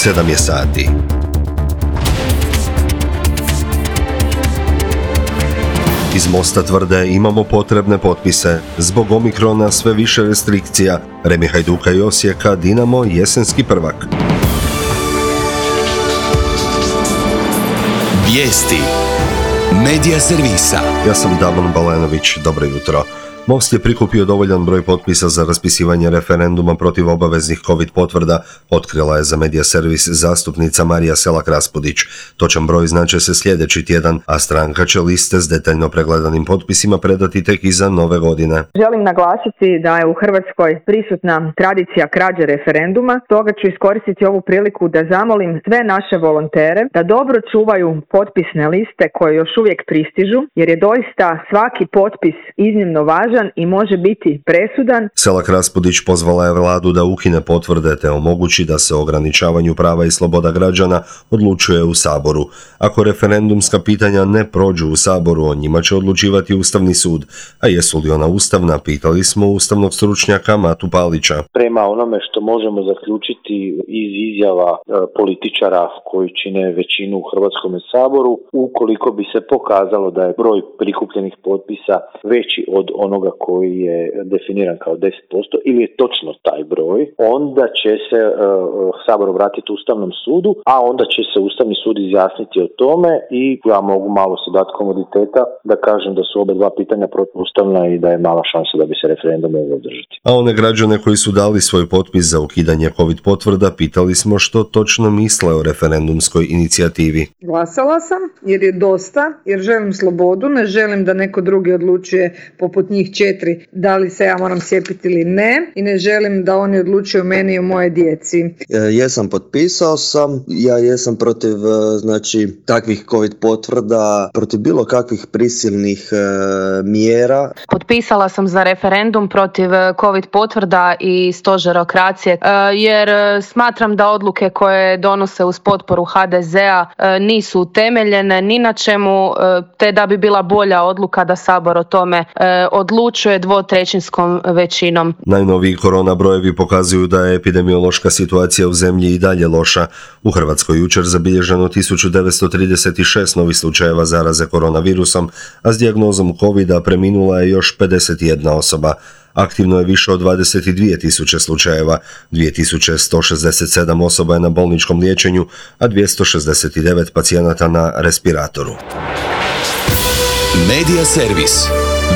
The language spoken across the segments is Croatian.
7 je sati. Iz Mosta tvrde imamo potrebne potpise. Zbog Omikrona sve više restrikcija. Remi Hajduka i Osijeka, Dinamo jesenski prvak. Vijesti Medija servisa. Ja sam Damon Balenović, dobro jutro. Most je prikupio dovoljan broj potpisa za raspisivanje referenduma protiv obaveznih COVID potvrda, otkrila je za Medija servis zastupnica Marija Selak-Raspudić. Točan broj znače se sljedeći tjedan, a stranka će liste s detaljno pregledanim potpisima predati tek iza nove godine. Želim naglasiti da je u Hrvatskoj prisutna tradicija krađe referenduma, stoga ću iskoristiti ovu priliku da zamolim sve naše volontere da dobro čuvaju potpisne liste koje još uvijek pristižu, jer je doista svaki potpis iznimno važan i može biti presudan. Selak-Raspudić pozvala je vladu da ukine potvrde te omogući da se o ograničavanju prava i sloboda građana odlučuje u Saboru. Ako referendumska pitanja ne prođu u Saboru, o njima će odlučivati Ustavni sud. A jesu li ona ustavna, pitali smo ustavnog stručnjaka Matu Palića. Prema onome što možemo zaključiti iz izjava političara koji čine većinu u Hrvatskom saboru, ukoliko bi se pokazalo da je broj prikupljenih potpisa veći od onoga koji je definiran kao 10% ili je točno taj broj, onda će se Sabor obratiti Ustavnom sudu, a onda će se Ustavni sud izjasniti o tome i ja mogu malo se dati komoditeta da kažem da su oba dva pitanja protuustavna i da je mala šansa da bi se referendum mogao održati. A one građane koji su dali svoj potpis za ukidanje COVID potvrda pitali smo što točno misle o referendumskoj inicijativi. Glasala sam jer je dosta, jer želim slobodu, ne želim da neko drugi odlučuje poput njih 4 da li se ja moram cijepiti ili ne i ne želim da oni odlučuju o meni i o moje djeci. Jesam, potpisao sam, ja jesam protiv takvih COVID potvrda, protiv bilo kakvih prisilnih mjera. Potpisala sam za referendum protiv COVID potvrda i stožerokracije jer smatram da odluke koje donose uz potporu HDZ-a nisu utemeljene ni na čemu, te da bi bila bolja odluka da Sabor o tome odlučuje 2/3 većinom. Najnoviji korona brojevi pokazuju da je epidemiološka situacija u zemlji i dalje loša. U Hrvatskoj jučer zabilježeno 1936 novih slučajeva zaraze koronavirusom, a s dijagnozom covida preminula je još 51 osoba. Aktivno je više od 22.000 slučajeva, 2167 osoba je na bolničkom liječenju, a 269 pacijenata na respiratoru. Medija servis.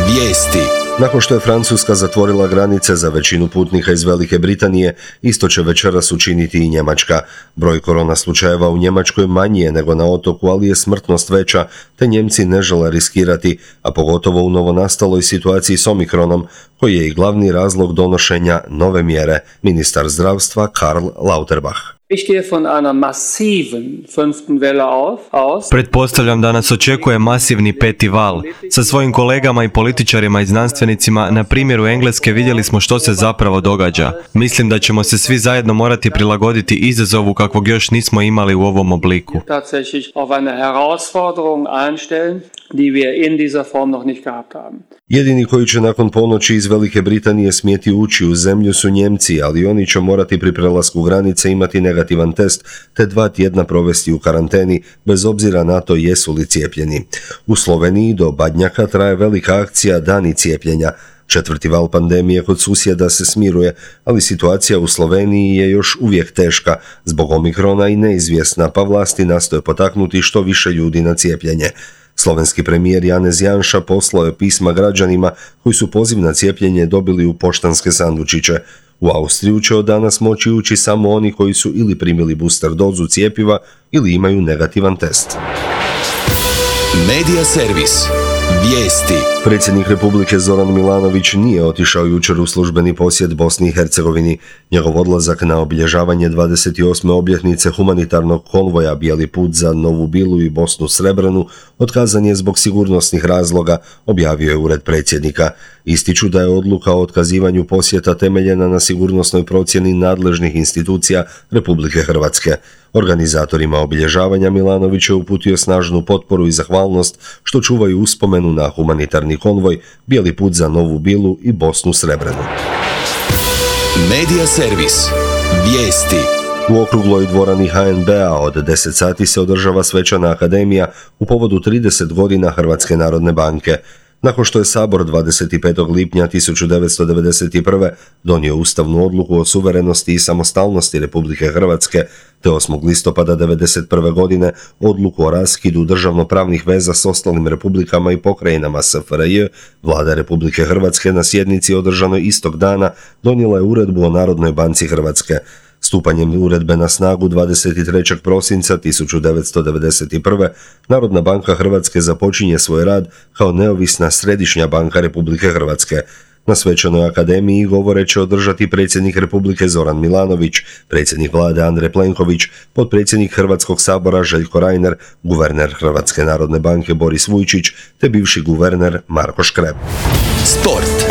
Vijesti. Nakon što je Francuska zatvorila granice za većinu putnika iz Velike Britanije, isto će večeras učiniti i Njemačka. Broj korona slučajeva u Njemačkoj manji je nego na otoku, ali je smrtnost veća, te Njemci ne žele riskirati, a pogotovo u novonastaloj situaciji s Omikronom, koji je i glavni razlog donošenja nove mjere, ministar zdravstva Karl Lauterbach. Pretpostavljam da nas očekuje masivni 5. val. Sa svojim kolegama i političarima i znanstvenicima na primjeru Engleske vidjeli smo što se zapravo događa. Mislim da ćemo se svi zajedno morati prilagoditi izazovu kakvog još nismo imali u ovom obliku. Jedini koji će nakon ponoći iz Velike Britanije smjeti ući u zemlju su Njemci, ali oni će morati pri prelasku granice imati negativan test te 2 tjedna provesti u karanteni, bez obzira na to jesu li cijepljeni. U Sloveniji do Badnjaka traje velika akcija Dani cijepljenja. 4. val pandemije kod susjeda se smiruje, ali situacija u Sloveniji je još uvijek teška zbog Omikrona i neizvjesna, pa vlasti nastoje potaknuti što više ljudi na cijepljenje. Slovenski premijer Janez Janša poslao je pisma građanima koji su poziv na cijepljenje dobili u poštanske sandučiće. U Austriju će od danas moći ući samo oni koji su ili primili booster dozu cjepiva ili imaju negativan test. Medija servis. Vijesti. Predsjednik Republike Zoran Milanović nije otišao jučer u službeni posjet Bosni i Hercegovini. Njegov odlazak na obilježavanje 28. obljetnice humanitarnog konvoja Bijeli put za Novu Bilu i Bosnu Srebrenu otkazan je zbog sigurnosnih razloga, objavio je ured predsjednika. Ističu da je odluka o otkazivanju posjeta temeljena na sigurnosnoj procjeni nadležnih institucija Republike Hrvatske. Organizatorima obilježavanja Milanović je uputio snažnu potporu i zahvalnost što čuvaju uspomenu na humanitarni konvoj, Bijeli put za Novu Bilu i Bosnu Srebrenu. Medija servis. Vijesti. U okrugloj dvorani HNB-a od 10 sati se održava svečana akademija u povodu 30 godina Hrvatske narodne banke. Nakon što je Sabor 25. lipnja 1991. donio ustavnu odluku o suverenosti i samostalnosti Republike Hrvatske, te 8. listopada 1991. godine odluku o raskidu državnopravnih veza s ostalim republikama i pokrajinama SFRJ, Vlada Republike Hrvatske na sjednici održanoj istog dana donijela je uredbu o Narodnoj banci Hrvatske. Stupanjem uredbe na snagu 23. prosinca 1991. Narodna banka Hrvatske započinje svoj rad kao neovisna središnja banka Republike Hrvatske. Na svečanoj akademiji govore će održati predsjednik Republike Zoran Milanović, predsjednik vlade Andrej Plenković, potpredsjednik Hrvatskog sabora Željko Reiner, guverner Hrvatske narodne banke Boris Vujčić te bivši guverner Marko Škreb. Sport.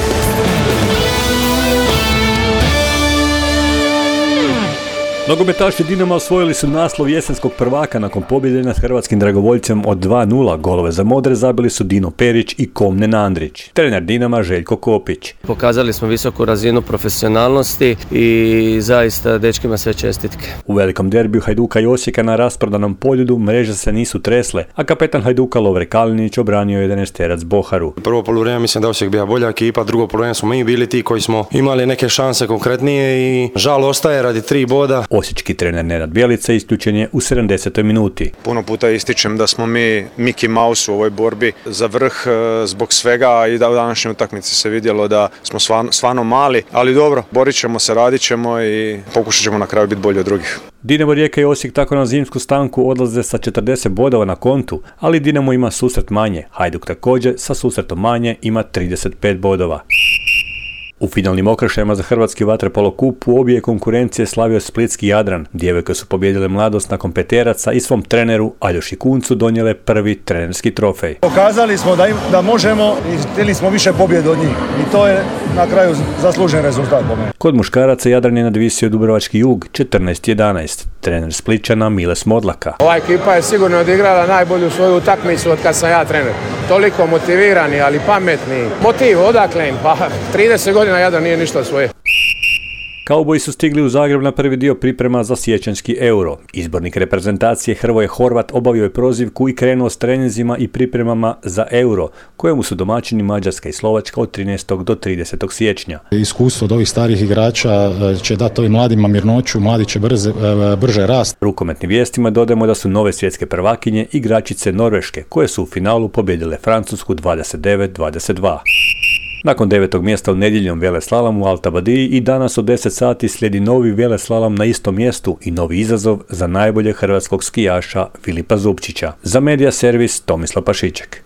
Nogometaši Dinama osvojili su naslov jesenskog prvaka nakon pobjede nad hrvatskim dragovoljcem od 2:0. Golove za modre zabili su Dino Perić i Komnen Andrić. Trener Dinama Željko Kopić. Pokazali smo visoku razinu profesionalnosti i zaista dečkima sve čestitke. U velikom derbiju Hajduka i Osijeka na rasprodanom Poljudu mreže se nisu tresle, a kapetan Hajduka Lovre Kalinić obranio 11-terac Boharu. Prvo poluvrijeme mislim da Osijek bila bolja ekipa, drugo poluvrijeme smo mi bili ti koji smo imali neke šanse konkretnije i žal ostaje radi 3 boda. Osječki trener Nenad Bjelica isključen je u 70. minuti. Puno puta ističem da smo mi Mickey Mouse u ovoj borbi za vrh zbog svega i da u današnjoj utakmici se vidjelo da smo stvarno mali, ali dobro, borit ćemo se, radit ćemo i pokušat ćemo na kraju biti bolji od drugih. Dinamo Rijeka i Osijek tako na zimsku stanku odlaze sa 40 bodova na kontu, ali Dinamo ima susret manje. Hajduk također sa susretom manje ima 35 bodova. U finalnim okršajima za hrvatski vaterpolo kup u obje konkurencije slavio splitski Jadran. Djevojke su pobijedile Mladost nakon peteraca i svom treneru Aljoši Kuncu donijele prvi trenerski trofej. Pokazali smo da možemo i htjeli smo više pobjede od njih i to je na kraju zaslužen rezultat po meni. Kod muškaraca Jadran je nadvisio Dubrovački Jug 14-11. Trener Splićana Miles Modlaka. Ova ekipa je sigurno odigrala najbolju svoju utakmicu od kad sam ja trener. Toliko motivirani, ali pametni. Motiv odakle im? Pa 30 godina Jadran nije ništa svoje. Kauboji su stigli u Zagreb na prvi dio priprema za siječanjski Euro. Izbornik reprezentacije Hrvoje Horvat obavio je prozivku i krenuo s treninzima i pripremama za Euro, kojemu su domaćini Mađarska i Slovačka od 13. do 30. siječnja. Iskustvo od ovih starih igrača će dati ovim mladima mirnoću, mladi će brže rast. Rukometnim vijestima dodajemo da su nove svjetske prvakinje igračice Norveške, koje su u finalu pobijedile Francusku 29-22. Nakon 9. mjesta u nedjeljnom veleslalom u Alta Badiji i danas od 10 sati slijedi novi veleslalom na istom mjestu i novi izazov za najboljeg hrvatskog skijaša Filipa Zupčića. Za Medija servis Tomislav Pašiček.